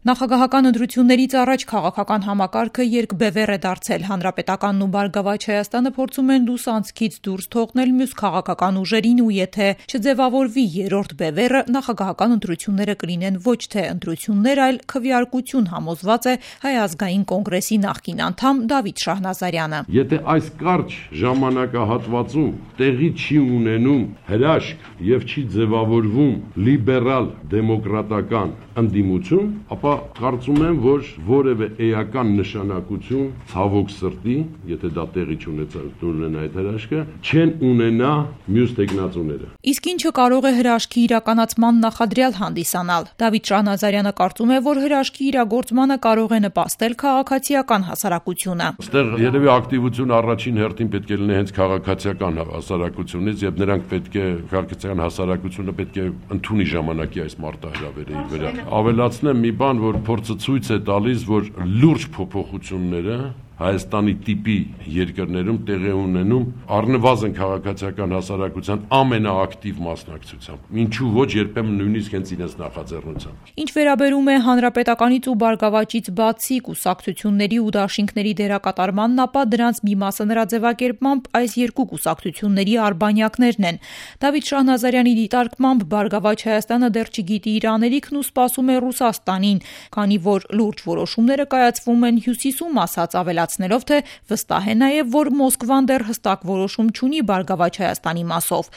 Նախագահական ընտրություններից առաջ քաղաքական համակարգը երկբևեռ է դարձել։ Հանրապետականն ու Բարգավաճ Հայաստանը փորձում են լուսանցքից դուրս թողնել մյուս քաղաքական ուժերին ու եթե չձևավորվի երրորդ բևեռը, նախագահական ընտրությունները կլինեն ոչ թե ընտրություններ, այլ քվեարկություն, համոզված է Հայ ազգային կոնգրեսի նախկին անդամ Դավիթ Շահնազարյանը։ Եթե այս կարճ ժամանակահատվածում տեղի չի ունենում հրաշք եւ չի ձևավորվում լիբերալ դեմոկրատական ընդդիմություն, ապա կարծում եմ, որ որևէ էական նշանակություն ցավոք սրտի, եթե դա տեղի չունենա այդ հրաշքը, չեն ունենա մյուս տեխնացուները։ Իսկ ինչը կարող է հրաշքի իրականացման նախադրյալ հանդիսանալ։ Դավիթ Շահնազարյանը կարծում է, որ հրաշքի իրագործմանը կարող է նպաստել քաղաքացիական հասարակությունը։ Այստեղ երևի ակտիվությունը առաջին հերթին պետք է լինի հենց քաղաքացիական հասարակությունից, եւ նրանք պետք է քաղաքացիական հասարակությունը պետք է ընդունի ժամանակի այս մարտահրավերը իր վրա։ Ավելացնեմ մի բան, որ փորձը ցույց է տալիս, որ լուրջ փոփոխությունները Հայաստանի տիպի երկրներում տեղի ունենում առնվազն քաղաքացիական հասարակության ամենաակտիվ մասնակցությամբ, ինչու ոչ երբեմն նույնիսկ հենց իրենց նախաձեռնությամբ։ Ինչ վերաբերում է հանրապետականից ու Բարգավաճից բացի կուսակցությունների ու դաշինքների դերակատարմանն, ապա դրանց մի մասը նրա ձևակերպմամբ այս երկու կուսակցությունների արբանյակներն են։ Դավիթ Շահնազարյանի դիտարկմամբ Բարգավաճ Հայաստանը դեռ չգիտի իր անելիքն ու սպասում է Ռուսաստանին, քանի որ լուրջ որոշումները կայացվում են հյուսիսում, ասած ավելացնելով, թե վստահ է նաև, որ Մոսկվան դեռ հստակ որոշում չունի Բարգավաճ Հայաստանի մասով։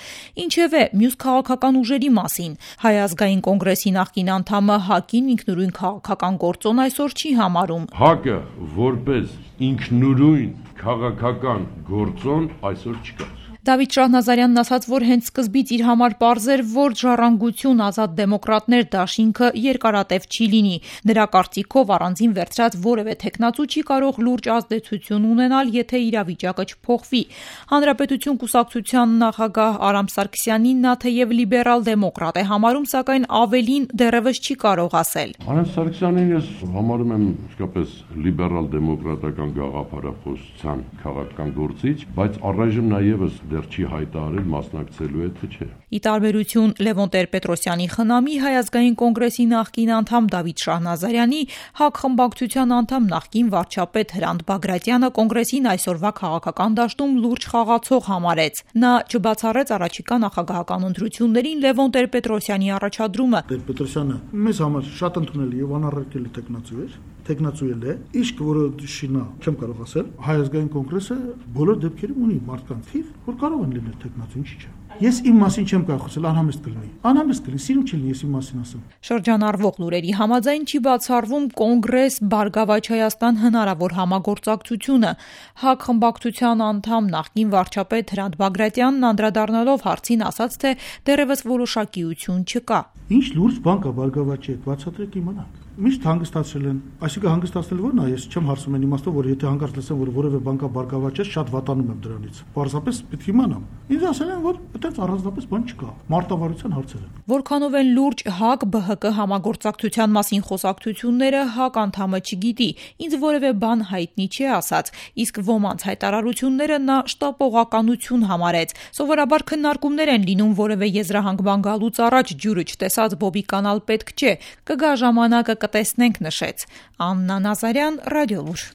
Ինչևէ, մյուս քաղաքական ուժերի մասին Հայ ազգային կոնգրեսի նախկին անդամը ՀԱԿ-ին ինքնուրույն քաղաքական գործոն այսօր չի համարում։ ՀԱԿ-ը որպես ինքնուրույն քաղաքական գործոն այսօր չկա։ Դավիթ Շահնազարյանն ասաց, որ հենց սկզբից իր համար պարզ էր, որ Ժառանգություն, Ազատ դեմոկրատներ դաշինքը երկարատև չի լինի։ Նրա կարծիքով առանձին վերցրած որևէ թեկնածու չի կարող լուրջ ազդեցություն ունենալ, եթե իրավիճակը չփոխվի։ Հանրապետություն կուսակցության նախագահ Արամ Սարգսյանին նա թեև լիբերալ դեմոկրատ է համարում, սակայն ավելին դեռևս չի կարող ասել։ Արամ Սարգսյանին ես համարում եմ իսկապես լիբերալ դեմոկրատական գաղափարախոսության քաղաքական գործիչ, բայց առայժմ նաեւս դեռ չի հայտարարել մասնակցելու է թե չէ։ Ի տարբերություն Լևոն Տեր-Պետրոսյանի խնամի, Հայ ազգային կոնգրեսի նախկին անդամ Դավիթ Շահնազարյանի, ՀԱԿ խմբակցության անդամ նախկին վարչապետ Հրանտ Բագրատյանը կոնգրեսին այսօրվա քաղաքական դաշտում լուրջ խաղացող համարեց։ Նա չբացառեց առաջիկա նախագահական ընտրություններին Լևոն Տեր-Պետրոսյանի առաջադրումը։ Տեր-Պետրոսյանը մեզ համար շատ ընդունելի եւ անառարկելի տեխնացու էր, տեխնացու է, իսկ որը շինա, չեմ կարող ասել, Հայ ազգային կոնգրեսը բոլոր դեպքերում ունի մարդկանց թիվ, որ կարող են լինել տեխնացու, ինչի՞ չէ։ Ես իմ մասին չեմ կարող խոսել, անհամեստ կլինի։ Անհամեստ կլինի, սիրում չի լինի, ես իմ մասին ասեմ։ Շրջանառվող լուրերի համաձայն չի բացառվում Կոնգրես Բարգավաճ Հայաստան հնարավոր համագործակցությունը։ ՀԱԿ խմբակցության անդամ նախկին վարչապետ Հրանտ Բագրատյանն անդրադառնալով հարցին ասաց, թե դեռևս որոշակիություն չկա։ Ինչ լուրջ բան կա Բարգավաճի հետ, բացատրեք իմանանք։ Միշտ հանգստացրել են, այսինքն հանգստացնել ո՞րն է, ես չեմ հարցում այն իմաստով, որ եթե հանկարծ լսեմ, որ որևէ բան կա Բարգավաճի հետ, շատ վատանում եմ դրանից։ Պարզապես պետք է իմանամ։ Ինձ ասել են, որ այդպես առանձնապես բան չկա։ Մարտավարության հարցեր են։ Որքանով են լուրջ ՀԱԿ-ԲՀԿ համագործակցության մասին խոսակցությունները, ՀԱԿ անդամը չգիտի, ինձ որևէ բան հայտնի չի ասած, իսկ ոմանց հայտարարությունները նա շտապողականություն համարեց։ Սովորաբար քննարկումներ են լինում որևէ եզրահանգման գալուց առաջ ջուրը չտեսած բոբի կանալ պետք չէ, կգա ժամանակը կտեսնենք, նշեց։ Աննա Նազարյան, Ռադիոլուր։